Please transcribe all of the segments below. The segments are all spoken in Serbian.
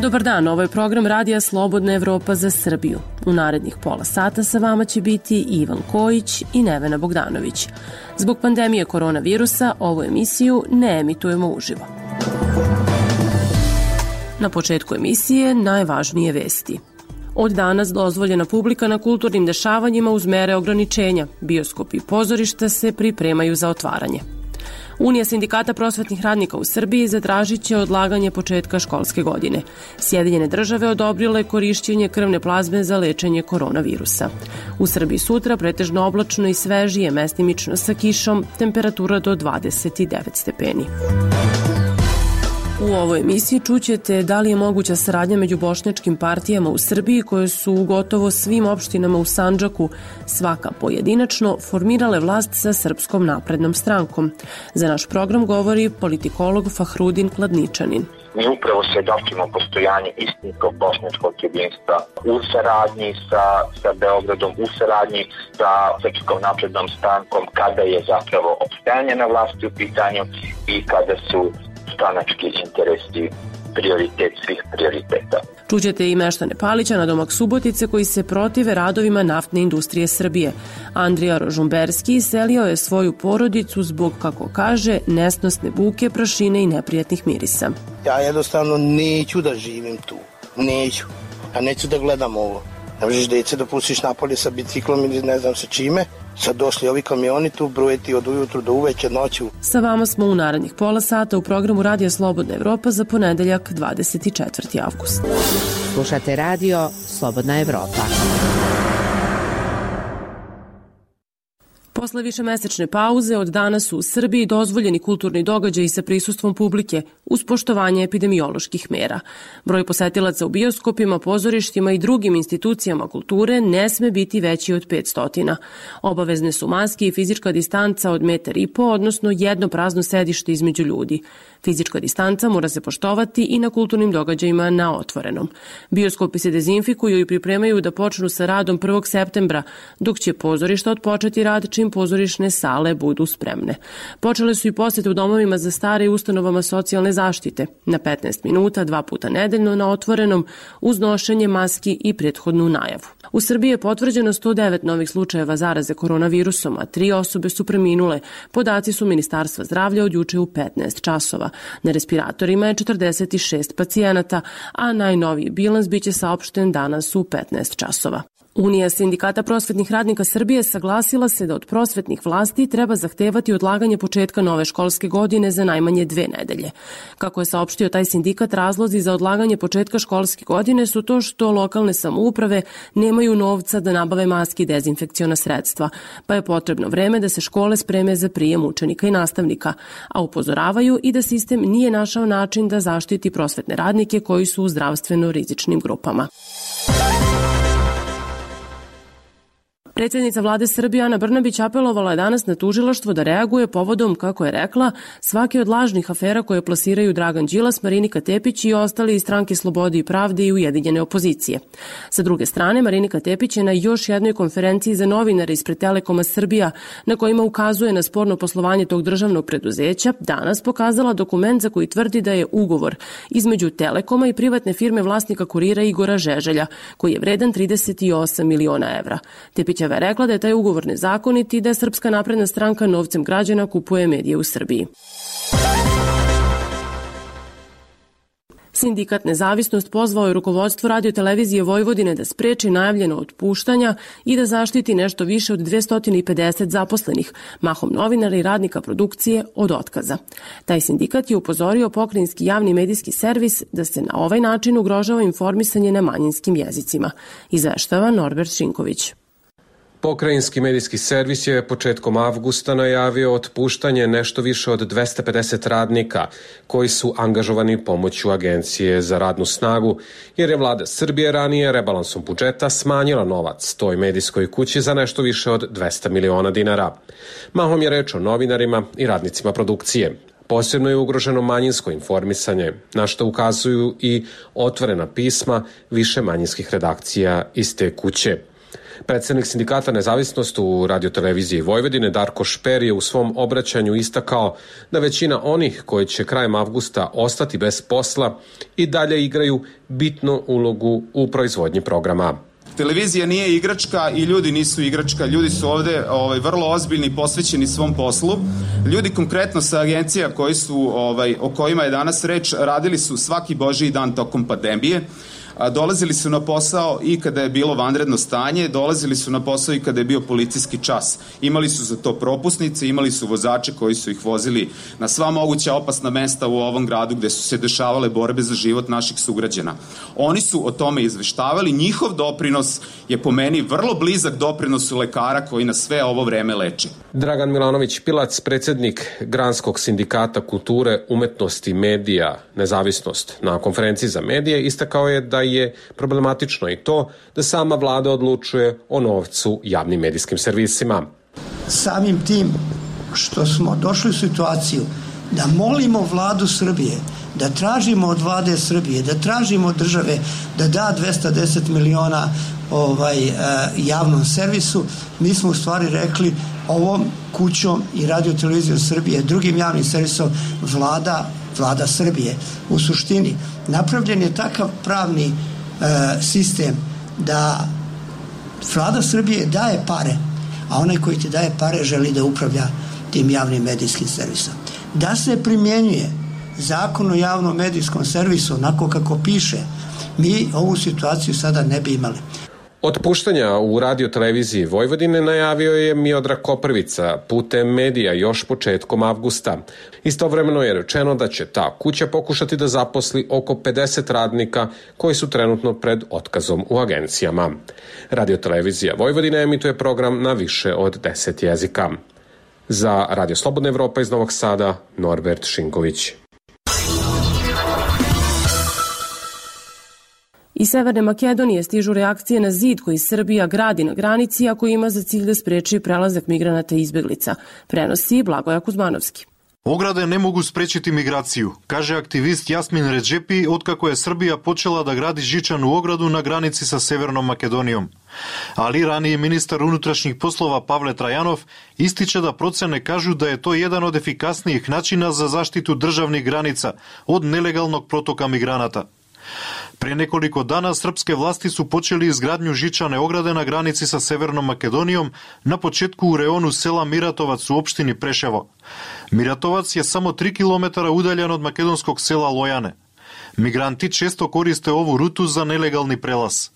Dobar dan, ovo je program Radija Slobodna Evropa za Srbiju. U narednih pola sata sa vama će biti Ivan Kojić i Nevena Bogdanović. Zbog pandemije koronavirusa ovu emisiju ne emitujemo uživo. Na početku emisije najvažnije vesti. Od danas dozvoljena publika na kulturnim dešavanjima uz mere ograničenja. Bioskopi i pozorišta se pripremaju za otvaranje. Unija sindikata prosvetnih radnika u Srbiji zatražit će odlaganje početka školske godine. Sjedinjene države odobrile korišćenje krvne plazme za lečenje koronavirusa. U Srbiji sutra pretežno oblačno i svežije, mestimično sa kišom, temperatura do 29 stepeni. U ovoj emisiji čućete da li je moguća saradnja među bošnjačkim partijama u Srbiji koje su u gotovo svim opštinama u Sandžaku, svaka pojedinačno, formirale vlast sa Srpskom naprednom strankom. Za naš program govori politikolog Fahrudin Kladničanin. Mi upravo svjedočimo postojanje istinskog bošnjačkog jedinstva u saradnji sa Beogradom, u saradnji sa Srpskom naprednom strankom, kada je zapravo opstajanje na vlasti u pitanju i kada su stranački interesi prioritet svih prioriteta. Čućete i meštane Palića na domak Subotice koji se protive radovima naftne industrije Srbije. Andrija Rožumberski iselio je svoju porodicu zbog, kako kaže, nesnosne buke, prašine i neprijatnih mirisa. Ja jednostavno neću da živim tu. Neću. Ja neću da gledam ovo. Ne možeš djece da pustiš napolje sa biciklom ili ne znam sa čime. Sad došli ovi kamioni tu brujeti od ujutru do uveče noću. Sa vama smo u narednih pola sata u programu Radija Slobodna Evropa za ponedeljak 24. avgust. Slušate Radio Slobodna Evropa. Posle višemesečne pauze od danas su u Srbiji dozvoljeni kulturni događaji sa prisustvom publike uz poštovanje epidemioloških mera. Broj posetilaca u bioskopima, pozorištima i drugim institucijama kulture ne sme biti veći od 500. Obavezne su maske i fizička distanca od 1,5 m, odnosno jedno prazno sedište između ljudi. Fizička distanca mora se poštovati i na kulturnim događajima na otvorenom. Bioskopi se dezinfikuju i pripremaju da počnu sa radom 1. septembra, dok će pozorišta otpočeti rad čim pozorišne sale budu spremne. Počele su i posete u domovima za stare i ustanovama socijalne zaštite. Na 15 minuta, 2 puta nedeljno na otvorenom, uz nošenje maski i prethodnu najavu. U Srbiji je potvrđeno 109 novih slučajeva zaraze koronavirusom, a 3 osobe su preminule. Podaci su Ministarstva zdravlja od juče u 15 časova. Na respiratorima je 46 pacijenata, a najnoviji bilans biće saopšten danas u 15 časova. Unija sindikata prosvetnih radnika Srbije saglasila se da od prosvetnih vlasti treba zahtevati odlaganje početka nove školske godine za najmanje 2 nedelje. Kako je saopštio taj sindikat, razlozi za odlaganje početka školske godine su to što lokalne samouprave nemaju novca da nabave maske i dezinfekciona sredstva, pa je potrebno vreme da se škole spreme za prijem učenika i nastavnika, a upozoravaju i da sistem nije našao način da zaštiti prosvetne radnike koji su u zdravstveno rizičnim grupama. Predsjednica vlade Srbije Ana Brnabić apelovala je danas na tužilaštvo da reaguje povodom, kako je rekla, svake od lažnih afera koje plasiraju Dragan Đilas, Marinika Tepić i ostali iz Stranke slobode i pravde i ujedinjene opozicije. Sa druge strane, Marinika Tepić je na još jednoj konferenciji za novinare ispred Telekoma Srbija, na kojima ukazuje na sporno poslovanje tog državnog preduzeća, danas pokazala dokument za koji tvrdi da je ugovor između Telekoma i privatne firme vlasnika Kurira Igora Žeželja, koji je vredan 38 miliona evra. Tepić je rekla da je taj ugovor nezakonit i da Srpska napredna stranka novcem građana kupuje medije u Srbiji. Sindikat Nezavisnost pozvao je rukovodstvo Radio-televizije Vojvodine da spreči najavljeno otpuštanja i da zaštiti nešto više od 250 zaposlenih, mahom novinara i radnika produkcije, od otkaza. Taj sindikat je upozorio pokrajinski javni medijski servis da se na ovaj način ugrožava informisanje na manjinskim jezicima. Izveštava Norbert Šinković. Pokrajinski medijski servis je početkom avgusta najavio otpuštanje nešto više od 250 radnika koji su angažovani pomoću Agencije za radnu snagu, jer je vlada Srbije ranije rebalansom budžeta smanjila novac toj medijskoj kući za nešto više od 200 miliona dinara. Mahom je reč o novinarima i radnicima produkcije. Posebno je ugroženo manjinsko informisanje, na što ukazuju i otvorena pisma više manjinskih redakcija iz te kuće. Predsednik sindikata Nezavisnost u radioteleviziji Vojvodine Darko Šper je u svom obraćanju istakao da većina onih koji će krajem avgusta ostati bez posla i dalje igraju bitnu ulogu u proizvodnji programa. Televizija nije igračka i ljudi nisu igračka. Ljudi su ovde vrlo ozbiljni i posvećeni svom poslu. Ljudi konkretno sa agencija o kojima je danas reč radili su svaki božji dan tokom pandemije. Dolazili su na posao i kada je bilo vanredno stanje, dolazili su na posao i kada je bio policijski čas. Imali su za to propusnice, imali su vozače koji su ih vozili na sva moguća opasna mesta u ovom gradu gde su se dešavale borbe za život naših sugrađana. Oni su o tome izveštavali, njihov doprinos je po meni vrlo blizak doprinosu lekara koji nas sve ovo vreme leči. Dragan Milanović Pilac, predsednik Granskog sindikata kulture, umetnosti, medija, Nezavisnost, na konferenciji za medije istakao je da je problematično i to da sama vlada odlučuje o novcu javnim medijskim servisima. Samim tim što smo došli u situaciju da molimo vladu Srbije, da tražimo od vlade Srbije, da tražimo od države da da 210 miliona javnom servisu, mi smo u stvari rekli ovom kućom i radiotelevizijom Srbije, drugim javnim servisom vlada Srbije. U suštini napravljen je takav pravni sistem da vlada Srbije daje pare, a onaj koji ti daje pare želi da upravlja tim javnim medijskim servisom. Da se primjenjuje Zakon o javnom medijskom servisu onako kako piše, mi ovu situaciju sada ne bi imali. Otpuštanja u radioteleviziji Vojvodine najavio je Miodrag Koprvica putem medija još početkom avgusta. Istovremeno je rečeno da će ta kuća pokušati da zaposli oko 50 radnika koji su trenutno pred otkazom u agencijama. Radiotelevizija Vojvodine emituje program na više od 10 jezika. Za Radio Slobodna Evropa iz Novog Sada, Norbert Šinković. Iz Severne Makedonije stižu reakcije na zid koji Srbija gradi na granici, a koji ima za cilj da spreči prelazak migranata i izbeglica. Prenosi Blagoja Kuzmanovski. Ograde ne mogu sprečiti migraciju, kaže aktivist Jasmin Redžepi otkako je Srbija počela da gradi žičanu ogradu na granici sa Severnom Makedonijom. Ali raniji ministar unutrašnjih poslova Pavle Trajanov ističe da procene kažu da je to jedan od efikasnijih načina za zaštitu državnih granica od nelegalnog protoka migranata. Pre nekoliko dana srpske vlasti su počeli izgradnju žičane ograde na granici sa Severnom Makedonijom na početku u reonu sela Miratovac u opštini Preševo. Miratovac je samo 3 km udaljen od makedonskog sela Lojane. Migranti često koriste ovu rutu za nelegalni prelaz.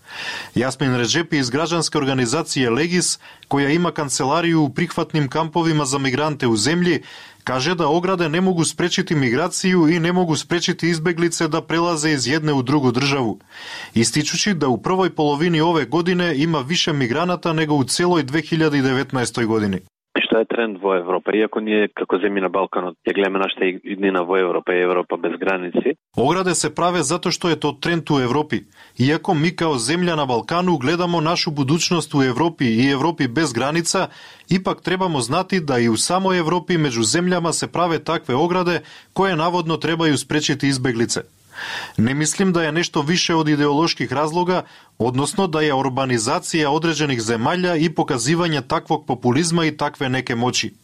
Jasmin Redžepi iz građanske organizacije Legis, koja ima kancelariju u prihvatnim kampovima za migrante u zemlji, kaže da ograde ne mogu sprečiti migraciju i ne mogu sprečiti izbeglice da prelaze iz jedne u drugu državu, ističući da u prvoj polovini ove godine ima više migranata nego u celoj 2019. godini. Što je trend vo Evropa, iako nije kako zemlji na Balkanu, je gledamo našta idnina vo Evropa i Evropa bez granici. Ograde se prave zato što je to trend u Evropi. Iako mi kao zemlja na Balkanu gledamo našu budućnost u Evropi i Evropi bez granica, ipak trebamo znati da i u samoj Evropi među zemljama se prave takve ograde koje navodno trebaju sprečiti izbeglice. Ne mislim da je nešto više od ideoloških razloga, odnosno da je urbanizacija određenih zemalja i pokazivanje takvog populizma i takve neke moći.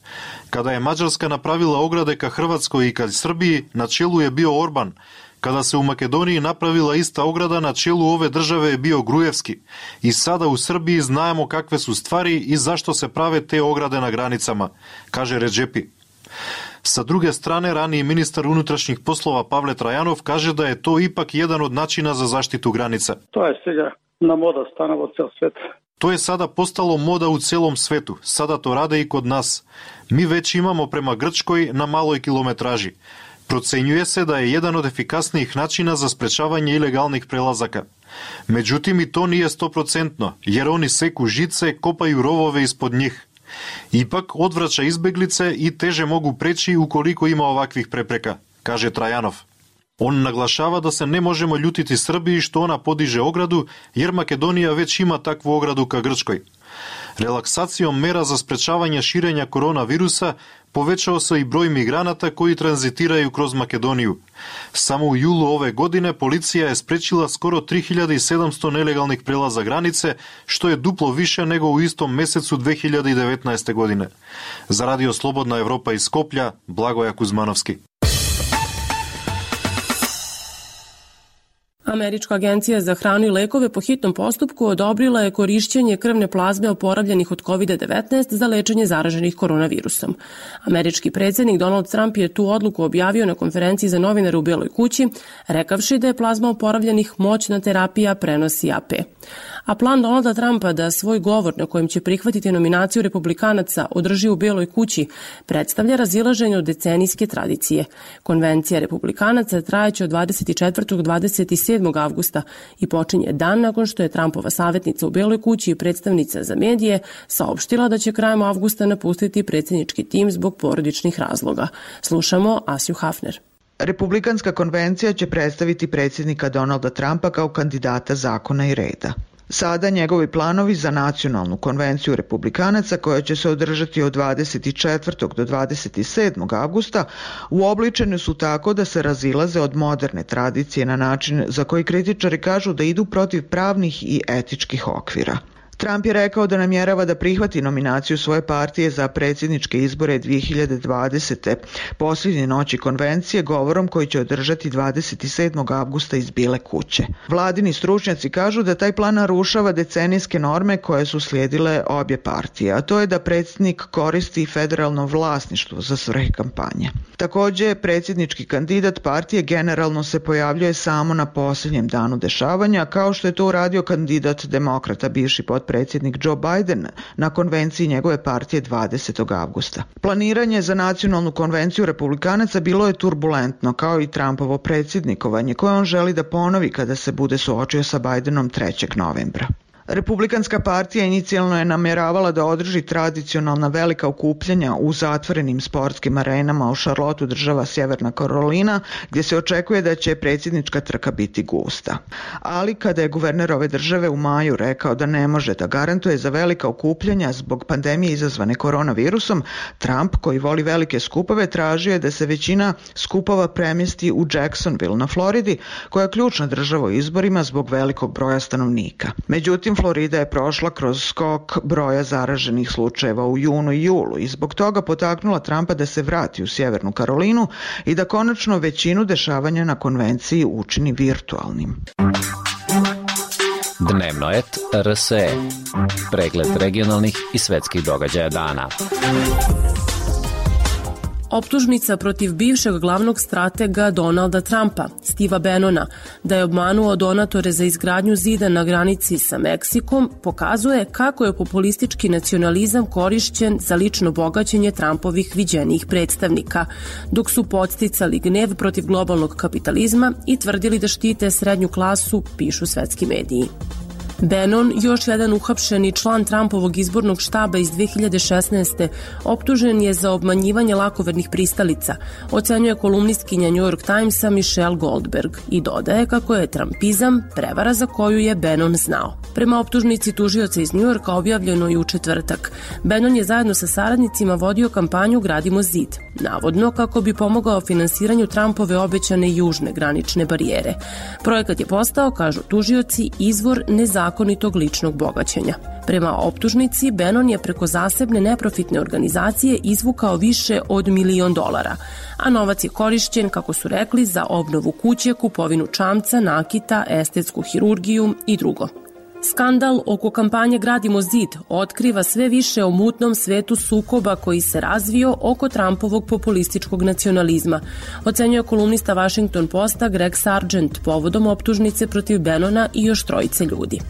Kada je Mađarska napravila ograde ka Hrvatskoj i ka Srbiji, na čelu je bio Orban. Kada se u Makedoniji napravila ista ograda, na čelu ove države je bio Grujevski. I sada u Srbiji znamo kakve su stvari i zašto se prave te ograde na granicama, kaže Redžepi. Sa druge strane, raniji ministar unutrašnjih poslova Pavle Trajanov kaže da je to ipak jedan od načina za zaštitu granica. To je сега na moda stanova ceo svet. To je sada postalo moda u celom svetu. Sada to rade i kod nas. Mi već imamo prema Grčkoj na maloj kilometraži. Procenjuje se da je jedan od efikasnijih načina za sprečavanje ilegalnih prelazaka. Međutim, i to nije 100%, jer oni seku žice, kopaju rovove ispod njih. Ipak odvraća izbeglice i teže mogu preći ukoliko ima ovakvih prepreka, kaže Trajanov. On naglašava da se ne možemo ljutiti Srbiji što ona podiže ogradu, jer Makedonija već ima takvu ogradu ka Grčkoj. Relaksacijom mera za sprečavanje širenja koronavirusa Povećao se i broj migranata koji tranzitiraju kroz Makedoniju. Samo u julu ove godine policija je sprečila skoro 3700 nelegalnih prelaza granice, što je duplo više nego u istom mesecu 2019. godine. Za Radio Slobodna Evropa iz Skoplja, Blagoja Kuzmanovski. Američka agencija za hranu i lekove po hitnom postupku odobrila je korišćenje krvne plazme oporavljenih od COVID-19 za lečenje zaraženih koronavirusom. Američki predsjednik Donald Trump je tu odluku objavio na konferenciji za novinare u Beloj kući, rekavši da je plazma oporavljenih moćna terapija, prenosi AP. A plan Donalda Trumpa da svoj govor na kojem će prihvatiti nominaciju republikanaca održi u Beloj kući predstavlja razilaženje od decenijske tradicije. Konvencija republikanaca trajeće od 24. do 27. avgusta i počinje dan nakon što je Trumpova savjetnica u Beloj kući i predstavnica za medije saopštila da će krajem avgusta napustiti predsjednički tim zbog porodičnih razloga. Slušamo Asju Hafner. Republikanska konvencija će predstaviti predsjednika Donalda Trumpa kao kandidata zakona i reda. Sada njegovi planovi za nacionalnu konvenciju republikanaca koja će se održati od 24. do 27. avgusta uobličeni su tako da se razilaze od moderne tradicije na način za koji kritičari kažu da idu protiv pravnih i etičkih okvira. Trump je rekao da namjerava da prihvati nominaciju svoje partije za predsjedničke izbore 2020. posljednje noći konvencije govorom koji će održati 27. avgusta iz Bijele kuće. Vladini stručnjaci kažu da taj plan narušava decenijske norme koje su slijedile obje partije, a to je da predsjednik koristi federalno vlasništvo za svrhe kampanje. Također, predsjednički kandidat partije generalno se pojavljuje samo na posljednjem danu dešavanja, kao što je to uradio kandidat demokrata, bivši potpredsjednik Joe Biden na konvenciji njegove partije 20. avgusta. Planiranje za nacionalnu konvenciju republikanaca bilo je turbulentno, kao i Trumpovo predsjednikovanje koje on želi da ponovi kada se bude suočio sa Bidenom 3. novembra. Republikanska partija inicijalno je namjeravala da održi tradicionalna velika okupljanja u zatvorenim sportskim arenama u Charlotteu, država Sjeverna Karolina, gdje se očekuje da će predsjednička trka biti gusta. Ali kada je guverner ove države u maju rekao da ne može da garantuje za velika okupljanja zbog pandemije izazvane koronavirusom, Trump, koji voli velike skupove, tražio je da se većina skupova premjesti u Jacksonville na Floridi, koja je ključna država u izborima zbog velikog broja stanovnika. Međutim, Florida je prošla kroz skok broja zaraženih slučajeva u junu i julu i zbog toga potaknula Trumpa da se vrati u Sjevernu Karolinu i da konačno većinu dešavanja na konvenciji učini virtualnim. Dnevnoet RSE. Pregled regionalnih i svetskih događaja dana. Optužnica protiv bivšeg glavnog stratega Donalda Trumpa, Steva Bannona, da je obmanuo donatore za izgradnju zida na granici sa Meksikom, pokazuje kako je populistički nacionalizam korišćen za lično bogaćenje Trumpovih viđenijih predstavnika, dok su podsticali gnev protiv globalnog kapitalizma i tvrdili da štite srednju klasu, pišu svetski mediji. Bannon, još jedan uhapšeni član Trumpovog izbornog štaba iz 2016. optužen je za obmanjivanje lakovernih pristalica, ocenjuje kolumnistkinja New York Timesa Michelle Goldberg i dodaje kako je trumpizam prevara za koju je Bannon znao. Prema optužnici tužioca iz New Yorka objavljeno i u četvrtak, Bannon je zajedno sa saradnicima vodio kampanju Gradimo zid, navodno kako bi pomogao finansiranju Trumpove obećane južne granične barijere. Projekat je postao, kažu tužioci, izvor nezakonitog ličnog bogaćenja. Prema optužnici, Bannon je preko zasebne neprofitne organizacije izvukao više od $1 milion, a novac je korišćen, kako su rekli, za obnovu kuće, kupovinu čamca, nakita, estetsku hirurgiju i drugo. Skandal oko kampanje Gradimo zid otkriva sve više o mutnom svetu sukoba koji se razvio oko Trumpovog populističkog nacionalizma, ocenjuje kolumnista Washington Posta Greg Sargent povodom optužnice protiv Bannona i još 3 ljudi.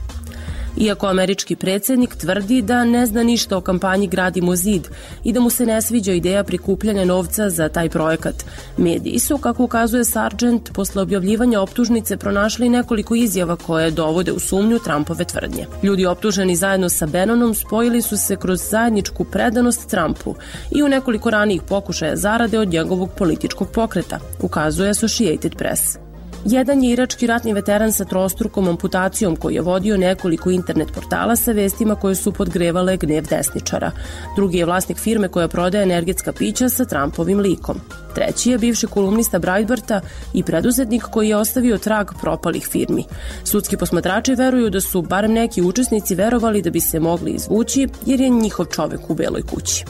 Iako američki predsjednik tvrdi da ne zna ništa o kampanji Gradimo zid i da mu se ne sviđa ideja prikupljanja novca za taj projekat, mediji su, kako ukazuje Sargent, posle objavljivanja optužnice pronašli nekoliko izjava koje dovode u sumnju Trumpove tvrdnje. Ljudi optuženi zajedno sa Bannonom spojili su se kroz zajedničku predanost Trumpu i u nekoliko ranijih pokušaja zarade od njegovog političkog pokreta, ukazuje Associated Press. Jedan je irački ratni veteran sa trostrukom amputacijom koji je vodio nekoliko internet portala sa vestima koje su podgrevale gnev desničara. Drugi je vlasnik firme koja prodaje energetska pića sa Trumpovim likom. Treći je bivši kolumnista Breitbarta i preduzetnik koji je ostavio trag propalih firmi. Sudski posmatrači veruju da su barem neki učesnici verovali da bi se mogli izvući jer je njihov čovek u Beloj kući.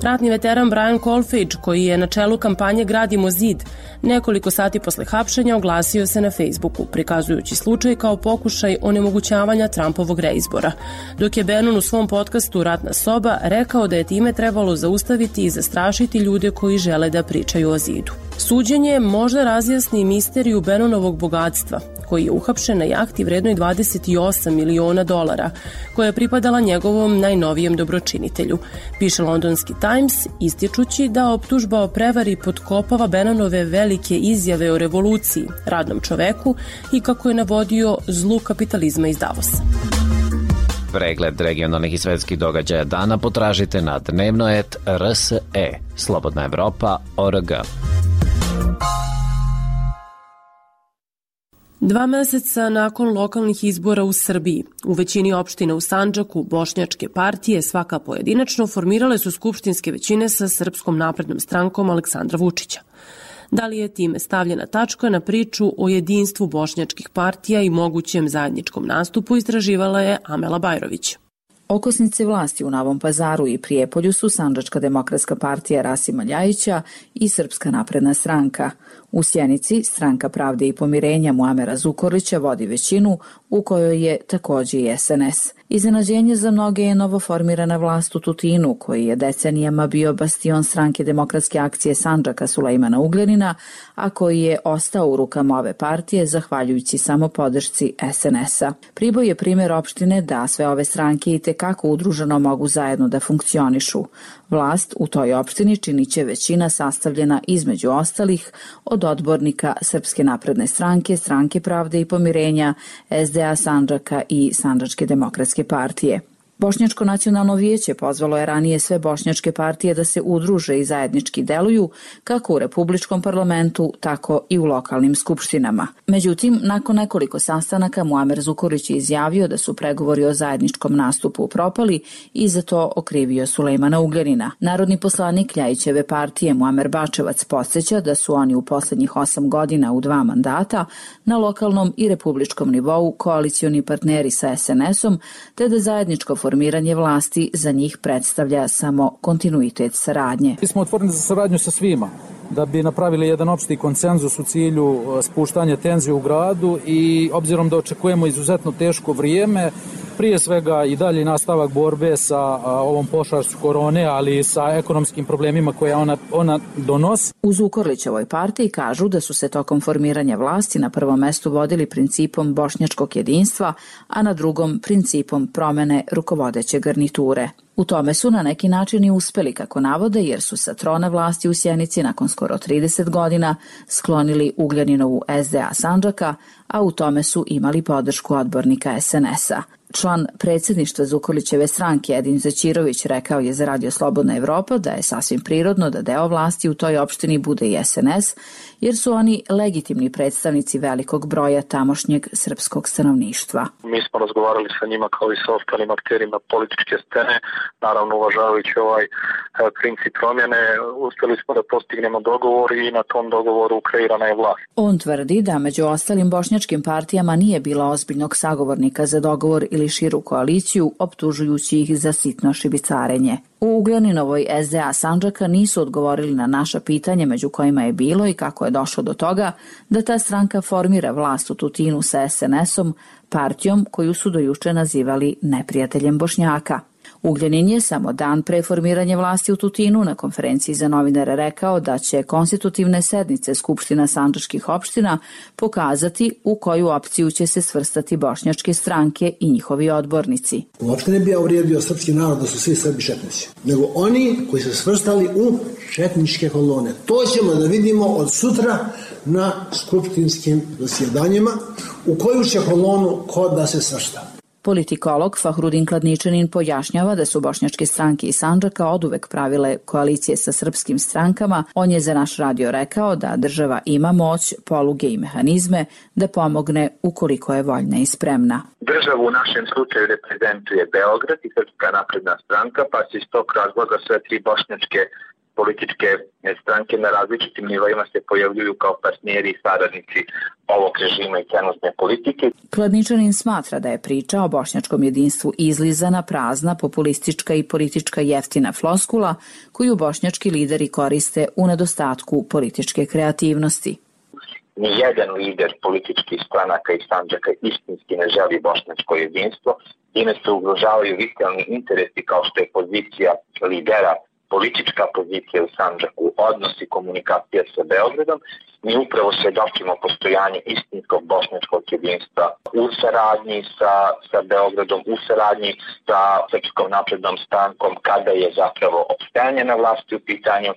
Ratni veteran Brian Kolfage, koji je na čelu kampanje Gradimo zid, nekoliko sati posle hapšenja oglasio se na Facebooku, prikazujući slučaj kao pokušaj onemogućavanja Trumpovog reizbora, dok je Bannon u svom podcastu Ratna soba rekao da je time trebalo zaustaviti i zastrašiti ljude koji žele da pričaju o zidu. Suđenje možda razjasni misteriju Bannonovog bogatstva, koji je uhapšen na jahti vrednoj $28 miliona, koja je pripadala njegovom najnovijem dobročinitelju, piše londonski Times, ističući da optužba o prevari potkopava Bannonove velike izjave o revoluciji, radnom čoveku i kako je navodio zlu kapitalizma iz Davosa. Pregled regionalnih i svetskih događaja dana potražite na dnevno.rs.e, Slobodna Evropa.org. 2 meseca nakon lokalnih izbora u Srbiji, u većini opština u Sandžaku, bošnjačke partije, svaka pojedinačno, formirale su skupštinske većine sa Srpskom naprednom strankom Aleksandra Vučića. Da li je time stavljena tačka na priču o jedinstvu bošnjačkih partija i mogućem zajedničkom nastupu, istraživala je Amela Bajrović. Okosnice vlasti u Novom Pazaru i Prijepolju su Sandžačka demokratska partija Rasima Ljajića i Srpska napredna stranka. U Sjenici Stranka pravde i pomirenja Muamera Zukorlića vodi većinu u kojoj je takođe i SNS. Iznenađenje za mnoge je novoformirana vlast u Tutinu, koji je decenijama bio bastion Stranke demokratske akcije Sandžaka Sulejmana Ugljanina, a koji je ostao u rukama ove partije zahvaljujući samo podršci SNS-a. Priboj je primjer opštine da sve ove stranke i tekako udruženo mogu zajedno da funkcionišu. Vlast u toj opštini činiće većina sastavljena između ostalih od odbornika Srpske napredne stranke, Stranke pravde i pomirenja, SDA Sandžaka i Sandžačke demokratske partije. Bošnjačko nacionalno vijeće pozvalo je ranije sve bošnjačke partije da se udruže i zajednički deluju kako u Republičkom parlamentu, tako i u lokalnim skupštinama. Međutim, nakon nekoliko sastanaka Muamer Zukorlić je izjavio da su pregovori o zajedničkom nastupu propali i za to okrivio Sulejmana Ugljanina. Narodni poslanik Ljajićeve partije Muamer Bačevac podsjeća da su oni u poslednjih 8 godina u 2 mandata na lokalnom i republičkom nivou koalicioni partneri sa SNS-om, te da zajedničko formiranje vlasti za njih predstavlja samo kontinuitet saradnje. Mi smo otvoreni za saradnju sa svima, da bi napravili jedan opšti konsenzus u cilju spuštanja tenzije u gradu i obzirom da očekujemo izuzetno teško vrijeme, prije svega i dalje nastavak borbe sa ovom pošašću korone, ali i sa ekonomskim problemima koje ona donosi. U Zukorlićevoj partiji kažu da su se tokom formiranja vlasti na prvom mestu vodili principom bošnjačkog jedinstva, a na drugom principom promene rukovodeće garniture. U tome su na neki način i uspeli, kako navode, jer su sa trona vlasti u Sjenici nakon skoro 30 godina sklonili Ugljaninovu SDA Sandžaka, a u tome su imali podršku odbornika SNS-a. Član predsjedništva Zukorlićeve stranke Edin Zaćirović rekao je za Radio Slobodna Evropa da je sasvim prirodno da deo vlasti u toj opštini bude i SNS, jer su oni legitimni predstavnici velikog broja tamošnjeg srpskog stanovništva. Mi smo razgovarali sa njima kao i sa ostalim akterima političke scene, naravno uvažavajući ovaj princip promjene, uspjeli smo da postignemo dogovor i na tom dogovoru kreirana je vlast. On tvrdi da među ostalim bošnjačkim partijama nije bilo ozbiljnog sagovornika za dogovor ili širu koaliciju, optužujući ih za sitno šibicarenje. U Ugljaninovoj SDA Sandžaka nisu odgovorili na naša pitanja, među kojima je bilo i kako je došlo do toga da ta stranka formira vlast u Tutinu sa SNS-om, partijom koju su do juče nazivali neprijateljem Bošnjaka. Ugljanin je samo dan pre formiranja vlasti u Tutinu na konferenciji za novinare rekao da će konstitutivne sednice Skupština sandžačkih opština pokazati u koju opciju će se svrstati bošnjačke stranke i njihovi odbornici. Uopšte ne bi ja uvrijedio srpski narod da su svi Srbi četnici, nego oni koji su svrstali u četničke kolone. To ćemo da vidimo od sutra na skupštinskim zasjedanjima u koju će kolonu ko da se svrsta. Politikolog Fahrudin Kladničanin pojašnjava da su bošnjačke stranke iz Sandžaka oduvek pravile koalicije sa srpskim strankama. On je za naš radio rekao da država ima moć, poluge i mehanizme da pomogne ukoliko je voljna i spremna. Državu u našem slučaju reprezentuje Beograd i Srpska napredna stranka, pa se iz tog razloga sve tri bošnjačke političke stranke na različitim nivoima se pojavljuju kao partneri i saradnici ovog režima i trenutne politike. Kladničanin smatra da je priča o bošnjačkom jedinstvu izlizana, prazna, populistička i politička jeftina floskula koju bošnjački lideri koriste u nedostatku političke kreativnosti. Nijedan lider političkih stranaka iz Sandžaka istinski ne želi bošnjačko jedinstvo, time se ugrožavaju vitalni interesi kao što je pozicija lidera, politička pozicija u Sandžaku, odnos i komunikacija sa Beogradom. Mi upravo svedočimo postojanje istinskog bošnjačkog jedinstva u saradnji sa Beogradom, u saradnji sa Srpskom naprednom strankom kada je zapravo opstajanje na vlasti u pitanju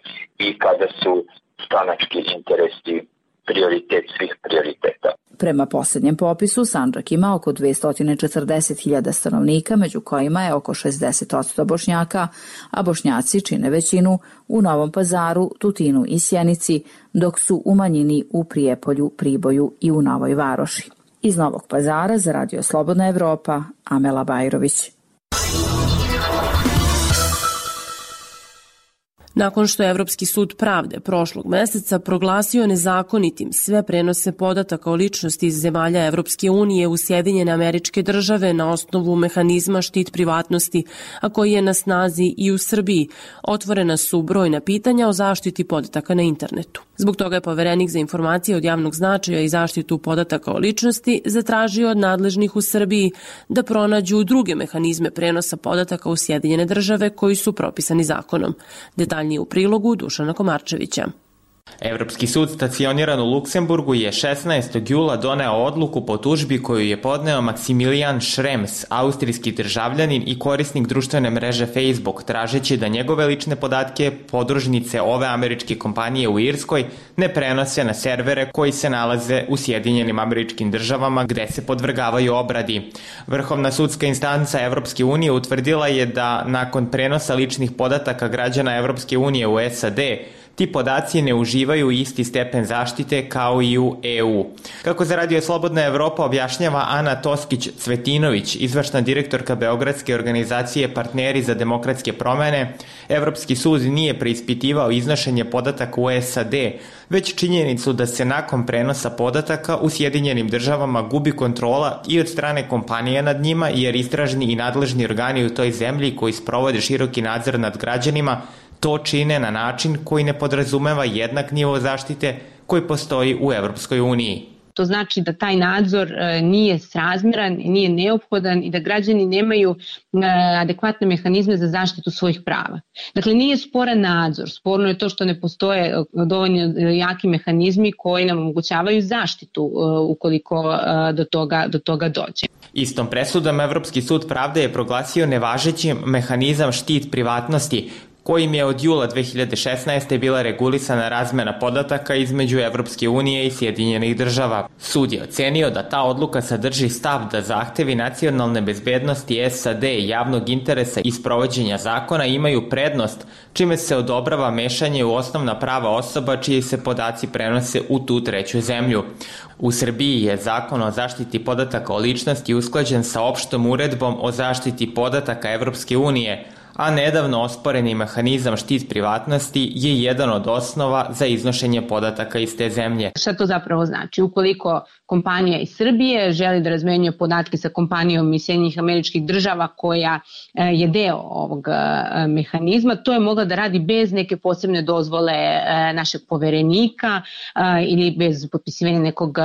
i kada su stranački interesi prioritet svih prioriteta. Prema posljednjem popisu, Sandžak ima oko 240.000 stanovnika, među kojima je oko 60% Bošnjaka, a Bošnjaci čine većinu u Novom Pazaru, Tutinu i Sjenici, dok su u manjini u Prijepolju, Priboju i u Novoj Varoši. Iz Novog Pazara za Radio Slobodna Evropa, Amela Bajrović. Nakon što je Evropski sud pravde prošlog meseca proglasio nezakonitim sve prenose podataka o ličnosti iz zemalja Evropske unije u Sjedinjene Američke Države na osnovu mehanizma štit privatnosti, a koji je na snazi i u Srbiji, otvorena su brojna pitanja o zaštiti podataka na internetu. Zbog toga je Poverenik za informacije od javnog značaja i zaštitu podataka o ličnosti zatražio od nadležnih u Srbiji da pronađu druge mehanizme prenosa podataka u Sjedinjene Države koji su propisani zakonom. Detaljnije u prilogu Dušana Komarčevića. Evropski sud stacioniran u Luksemburgu je 16. jula doneo odluku po tužbi koju je podneo Maksimilijan Šrems, austrijski državljanin i korisnik društvene mreže Facebook, tražeći da njegove lične podatke podružnice ove američke kompanije u Irskoj ne prenose na servere koji se nalaze u Sjedinjenim Američkim Državama gde se podvrgavaju obradi. Vrhovna sudska instanca Evropske unije utvrdila je da nakon prenosa ličnih podataka građana Evropske unije u SAD, ti podaci ne uživaju isti stepen zaštite kao i u EU. Kako za Radio Slobodna Evropa objašnjava Ana Toskić-Cvetinović, izvršna direktorka Beogradske organizacije Partneri za demokratske promene, Evropski sud nije preispitivao iznošenje podataka u SAD, već činjenicu da se nakon prenosa podataka u Sjedinjenim Državama gubi kontrola i od strane kompanije nad njima, jer istražni i nadležni organi u toj zemlji koji sprovode široki nadzor nad građanima to čine na način koji ne podrazumeva jednak nivo zaštite koji postoji u Evropskoj uniji. To znači da taj nadzor nije srazmjeran, nije neophodan i da građani nemaju adekvatne mehanizme za zaštitu svojih prava. Dakle, nije sporan nadzor, sporno je to što ne postoje dovoljno jaki mehanizmi koji nam omogućavaju zaštitu ukoliko do toga dođe. Istom presudom Evropski sud pravde je proglasio nevažećim mehanizam štit privatnosti, kojim je od jula 2016. bila regulisana razmena podataka između Evropske unije i Sjedinjenih Država. Sud je ocenio da ta odluka sadrži stav da zahtevi nacionalne bezbednosti SAD i javnog interesa i sprovođenja zakona imaju prednost, čime se odobrava mešanje u osnovna prava osoba čiji se podaci prenose u tu treću zemlju. U Srbiji je zakon o zaštiti podataka o ličnosti usklađen sa opštom uredbom o zaštiti podataka Evropske unije, a nedavno osporeni mehanizam štit privatnosti je jedan od osnova za iznošenje podataka iz te zemlje. Šta to zapravo znači? Ukoliko kompanija iz Srbije želi da razmenjuje podatke sa kompanijom iz Sjedinjenih Američkih Država koja je deo ovog mehanizma, to je mogla da radi bez neke posebne dozvole našeg poverenika ili bez potpisivanja nekog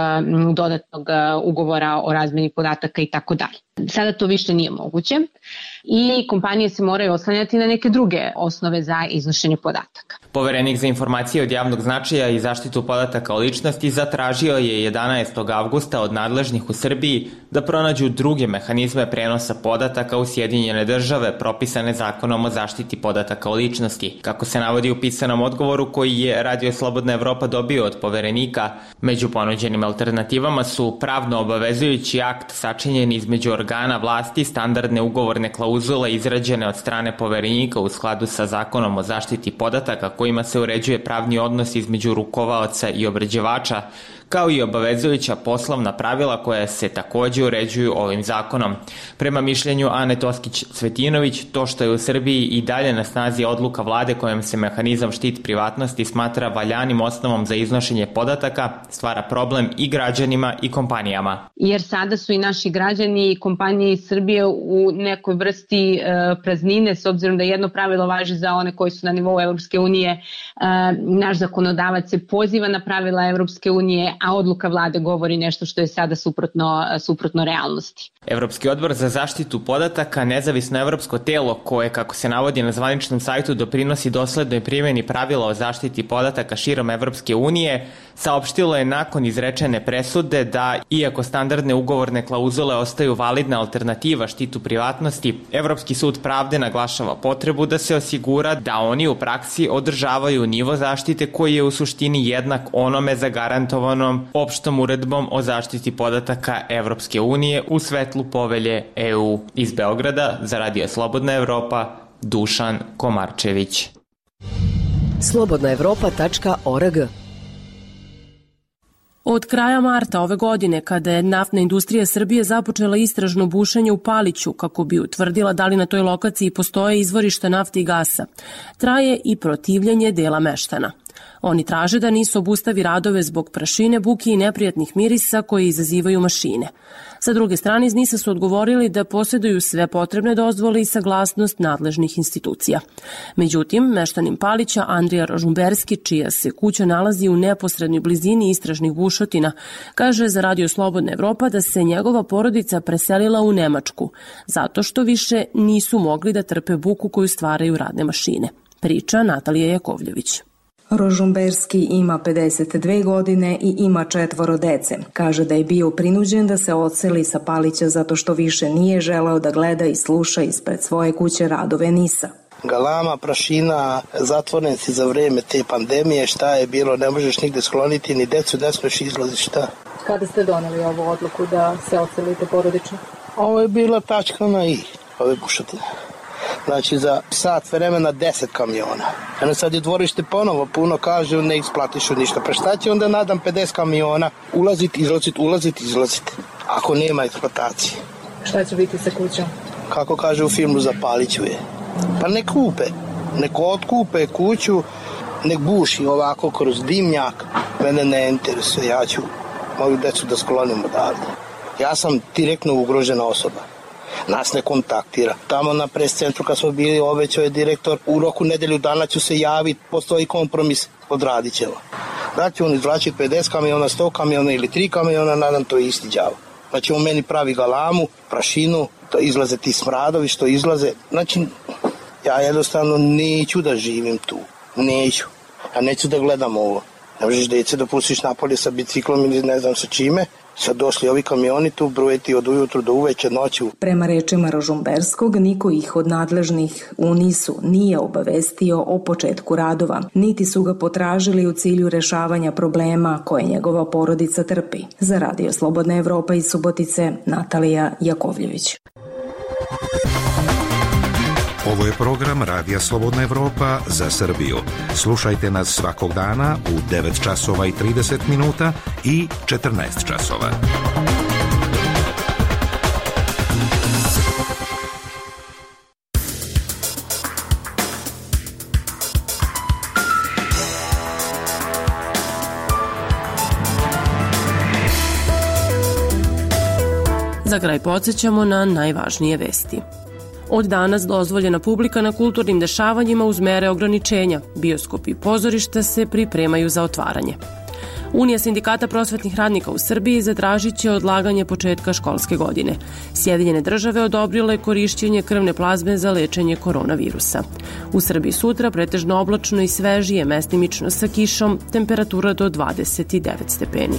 dodatnog ugovora o razmeni podataka i tako dalje. Sada to više nije moguće i kompanije se moraju oslanjati na neke druge osnove za iznošenje podataka. Poverenik za informacije od javnog značaja i zaštitu podataka o ličnosti zatražio je 11. avgusta od nadležnih u Srbiji da pronađu druge mehanizme prenosa podataka u Sjedinjene Države propisane zakonom o zaštiti podataka o ličnosti. Kako se navodi u pisanom odgovoru koji je Radio Slobodna Evropa dobio od poverenika, među ponuđenim alternativama su pravno obavezujući akt sačinjen između organa organa vlasti standardne ugovorne klauzule izrađene od strane poverenika u skladu sa zakonom o zaštiti podataka kojima se uređuje pravni odnos između rukovaoca i obrađivača, kao i obavezujuća poslovna pravila koja se takođe uređuju ovim zakonom. Prema mišljenju Ane Toskić-Cvetinović, to što je u Srbiji i dalje na snazi odluka vlade kojom se mehanizam štit privatnosti smatra valjanim osnovom za iznošenje podataka, stvara problem i građanima i kompanijama. Jer sada su i naši građani i kompanije iz Srbije u nekoj vrsti praznine, s obzirom da jedno pravilo važi za one koji su na nivou Evropske unije. Naš zakonodavac se poziva na pravila Evropske unije, a odluka vlade govori nešto što je sada suprotno realnosti. Evropski odbor za zaštitu podataka, nezavisno evropsko telo koje, kako se navodi na zvaničnom sajtu, doprinosi doslednoj primjeni pravila o zaštiti podataka širom Evropske unije, saopštilo je nakon izrečene presude da, iako standardne ugovorne klauzule ostaju validna alternativa štitu privatnosti, Evropski sud pravde naglašava potrebu da se osigura da oni u praksi održavaju nivo zaštite koji je u suštini jednak onome zagarantovano opštom uredbom o zaštiti podataka Evropske unije u svetlu povelje EU. Iz Beograda za Radio Slobodna Evropa, Dušan Komarčević. slobodnaevropa.org. Od kraja marta ove godine, kada je naftna industrija Srbije započela istražno bušenje u Paliću kako bi utvrdila da li na toj lokaciji postoje izvorišta nafte i gasa, traje i protivljenje dela meštana. Oni traže da NIS obustavi radove zbog prašine, buke i neprijatnih mirisa koje izazivaju mašine. Sa druge strane, iz NIS-a su odgovorili da posjeduju sve potrebne dozvole i saglasnost nadležnih institucija. Međutim, meštanin Palića Andrija Rožumberski, čija se kuća nalazi u neposrednoj blizini istražnih bušotina, kaže za Radio Slobodna Evropa da se njegova porodica preselila u Nemačku, zato što više nisu mogli da trpe buku koju stvaraju radne mašine. Priča Natalija Jakovljević. Rožumberski ima 52 godine i ima 4 dece. Kaže da je bio prinuđen da se odseli sa Palića zato što više nije želeo da gleda i sluša ispred svoje kuće radove NIS-a. Galama, prašina, zatvoren si za vreme te pandemije, šta je bilo, ne možeš nigde skloniti, ni decu ne smeš izlaziti, šta. Kada ste doneli ovu odluku da se odselite porodično? Ovo je bila tačka na i, ove bušotine. Znači za sat vremena 10 kamiona. Eno sad je dvorište ponovo puno, kažu ne isplatišu ništa. Pa šta će onda nadam 50 kamiona ulaziti, izlaziti, ako nema eksploatacije. Šta će biti sa kućom? Kako kaže u filmu Zapaliću je. Pa nek kupe, nek otkupe kuću, nek buši ovako kroz dimnjak. Mene ne interesuje, ja ću moju decu da sklonim odavde. Ja sam direktno ugrožena osoba. Nas ne kontaktira. Tamo na pres centru kad smo bili, obećao je direktor, u roku nedelju dana ću se javiti, postoji kompromis, odradit ćemo. Da će on izvlačiti 50 kamiona, 100 kamiona ili 3 kamiona, nadam to je isti đavo. Znači on meni pravi galamu, prašinu, to izlaze ti smradovi što izlaze. Znači ja jednostavno neću da živim tu, neću. Ja neću da gledam ovo. Ne možeš djece da pustiš napolje sa biciklom ili ne znam sa čime. Sad došli ovi kamioni tu brujeti od ujutru do uveče noću. Prema rečima Rožumberskog, niko ih od nadležnih u NIS-u nije obavestio o početku radova, niti su ga potražili u cilju rešavanja problema koje njegova porodica trpi. Za Radio Slobodna Evropa iz Subotice, Natalija Jakovljević. Ovo je program Radija Slobodna Evropa za Srbiju. Slušajte nas svakog dana u 9 časova i 30 minuta i 14 časova. Za kraj podsjećamo na najvažnije vesti. Od danas dozvoljena publika na kulturnim dešavanjima uz mere ograničenja. Bioskopi i pozorišta se pripremaju za otvaranje. Unija sindikata prosvetnih radnika u Srbiji zatražit će odlaganje početka školske godine. Sjedinjene države odobrile korišćenje krvne plazme za lečenje koronavirusa. U Srbiji sutra pretežno oblačno i svežije, mestimično sa kišom, temperatura do 29 stepeni.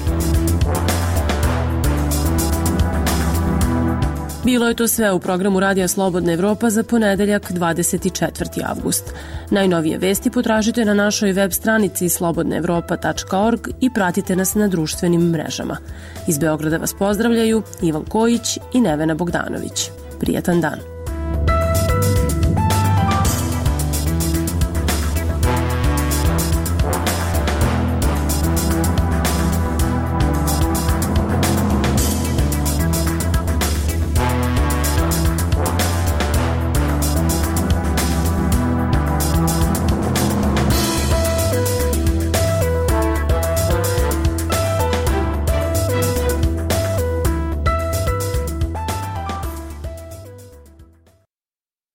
Bilo je to sve u programu Radija Slobodna Evropa za ponedeljak 24. avgust. Najnovije vesti potražite na našoj web stranici slobodnaevropa.org i pratite nas na društvenim mrežama. Iz Beograda vas pozdravljaju Ivan Kojić i Nevena Bogdanović. Prijatan dan.